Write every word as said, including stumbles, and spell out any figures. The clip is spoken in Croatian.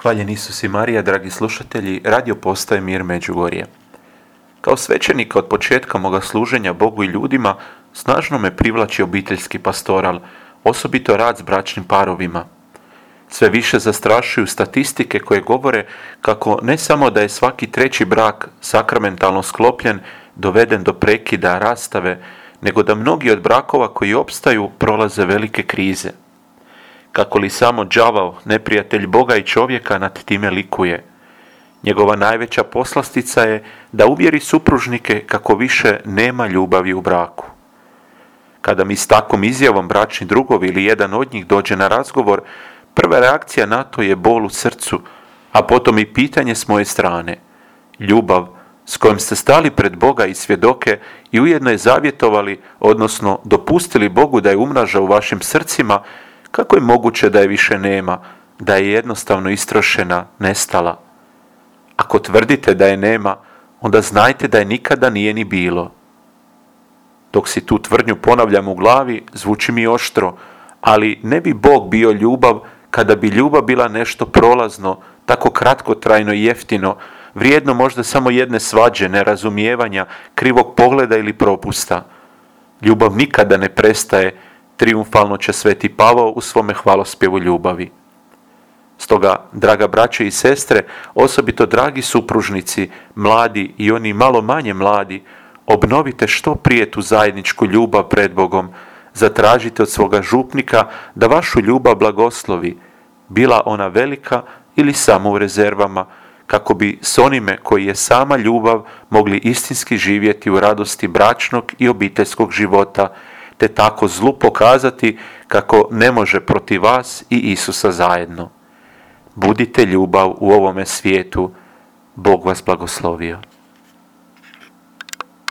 Hvaljen Isus i Marija, dragi slušatelji, radio postaje Mir Međugorje. Kao svećenika od početka moga služenja Bogu i ljudima, snažno me privlači obiteljski pastoral, osobito rad s bračnim parovima. Sve više zastrašuju statistike koje govore kako ne samo da je svaki treći brak sakramentalno sklopljen, doveden do prekida, rastave, nego da mnogi od brakova koji opstaju prolaze velike krize. Kako li samo đavao, neprijatelj Boga i čovjeka, nad time likuje. Njegova najveća poslastica je da uvjeri supružnike kako više nema ljubavi u braku. Kada mi s takvom izjavom bračni drugovi ili jedan od njih dođe na razgovor, prva reakcija na to je bol u srcu, a potom i pitanje s moje strane. Ljubav s kojom ste stali pred Boga i svjedoke i ujedno je zavjetovali, odnosno dopustili Bogu da je umnaža u vašim srcima, kako je moguće da je više nema, da je jednostavno istrošena, nestala? Ako tvrdite da je nema, onda znajte da je nikada nije ni bilo. Dok si tu tvrdnju ponavljam u glavi, zvuči mi oštro, ali ne bi Bog bio ljubav kada bi ljubav bila nešto prolazno, tako kratkotrajno i jeftino, vrijedno možda samo jedne svađe, nerazumijevanja, krivog pogleda ili propusta. Ljubav nikada ne prestaje, trijumfalno će sveti Pavao u svome hvalospjevu ljubavi. Stoga, draga braće i sestre, osobito dragi supružnici, mladi i oni malo manje mladi, obnovite što prije tu zajedničku ljubav pred Bogom, zatražite od svoga župnika da vašu ljubav blagoslovi, bila ona velika ili samo u rezervama, kako bi s onime koji je sama ljubav mogli istinski živjeti u radosti bračnog i obiteljskog života, te tako zlu pokazati kako ne može protiv vas i Isusa zajedno. Budite ljubav u ovome svijetu. Bog vas blagoslovio.